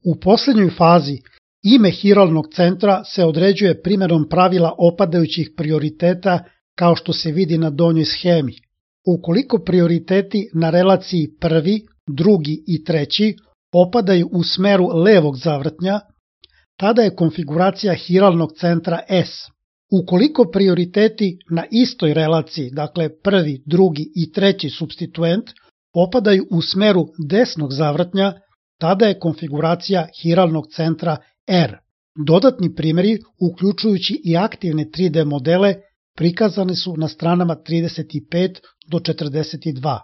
U posljednjoj fazi ime hiralnog centra se određuje primjenom pravila opadajućih prioriteta kao što se vidi na donjoj schemi. Ukoliko prioriteti na relaciji prvi, drugi i treći opadaju u smeru levog zavrtnja, tada je konfiguracija hiralnog centra S. Ukoliko prioriteti na istoj relaciji, dakle prvi, drugi i treći supstituent, opadaju u smeru desnog zavrtnja, tada je konfiguracija hiralnog centra R. Dodatni primjeri, uključujući i aktivne 3D modele, prikazani su na stranama 35 do 42.